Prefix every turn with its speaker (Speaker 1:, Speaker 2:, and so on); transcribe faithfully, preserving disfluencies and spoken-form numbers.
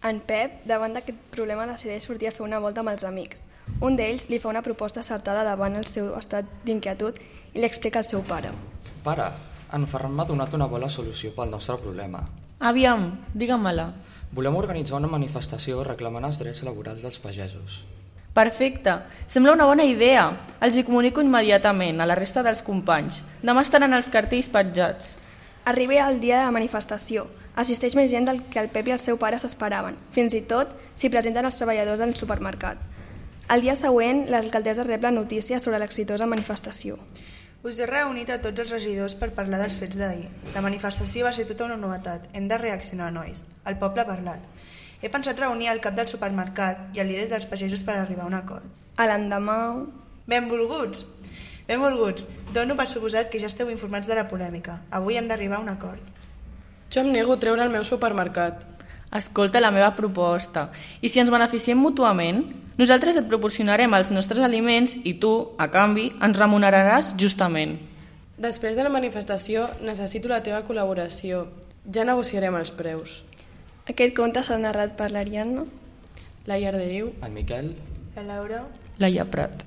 Speaker 1: En Pep, davant d'aquest problema, decideix sortir a fer una volta amb els amics. Un d'ells li fa una proposta acertada davant el seu estat d'inquietud i li explica al seu pare.
Speaker 2: Pare, en Ferran m'ha donat una bona solució pel nostre problema.
Speaker 3: Aviam, digue-me-la.
Speaker 2: Volem organitzar una manifestació reclamant els drets laborals dels pagesos.
Speaker 3: Perfecte, sembla una bona idea. Els hi comunico immediatament a la resta dels companys. Demà estaran els cartells petjats.
Speaker 1: Arriba el dia de la manifestació. Assisteix més gent del que el Pep i el seu pare s'esperaven. Fins i tot s'hi presenten els treballadors del supermercat. El dia següent, l'alcaldessa rep la notícia sobre l'exitosa manifestació.
Speaker 4: Us he reunit a tots els regidors per parlar dels fets d'ahir. La manifestació va ser tota una novetat. Hem de reaccionar, nois. El poble ha parlat. He pensat reunir el cap del supermercat i el líder dels pagesos per arribar a un acord.
Speaker 1: A l'endemà...
Speaker 4: Benvolguts! Benvolguts! Dono per suposat que ja esteu informats de la polèmica. Avui hem d'arribar a un acord.
Speaker 5: Jo em nego a treure el meu supermercat.
Speaker 3: Escolta la meva proposta. I si ens beneficiem mútuament, nosaltres et proporcionarem els nostres aliments i tu, a canvi, ens remuneraràs justament.
Speaker 5: Després de la manifestació necessito la teva col·laboració. Ja negociarem els preus.
Speaker 1: Aquest conte s'ha narrat per l'Ariadna,
Speaker 5: La Iarderiu,
Speaker 2: En Miquel...
Speaker 4: La Laura...
Speaker 3: Laia Prat.